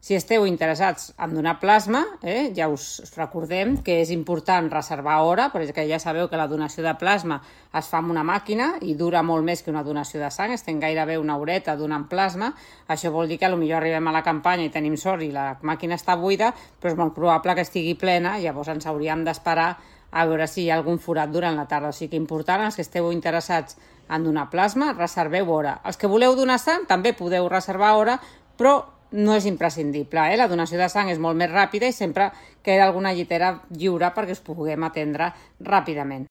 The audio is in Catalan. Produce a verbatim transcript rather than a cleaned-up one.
Si esteu interessats en donar plasma, eh, ja us recordem que és important reservar hora, perquè ja sabeu que la donació de plasma es fa amb una màquina i dura molt més que una donació de sang, estem gairebé una horeta donant plasma. Això vol dir que potser arribem a la campanya i tenim sort i la màquina està buida, però és molt probable que estigui plena, llavors ens hauríem d'esperar a veure si hi ha algun forat durant la tarda. O sigui que important, els que esteu interessats en donar plasma, reserveu hora. Els que voleu donar sang també podeu reservar hora, però no és imprescindible, eh? La donació de sang és molt més ràpida i sempre queda alguna llitera lliure perquè us puguem atendre ràpidament.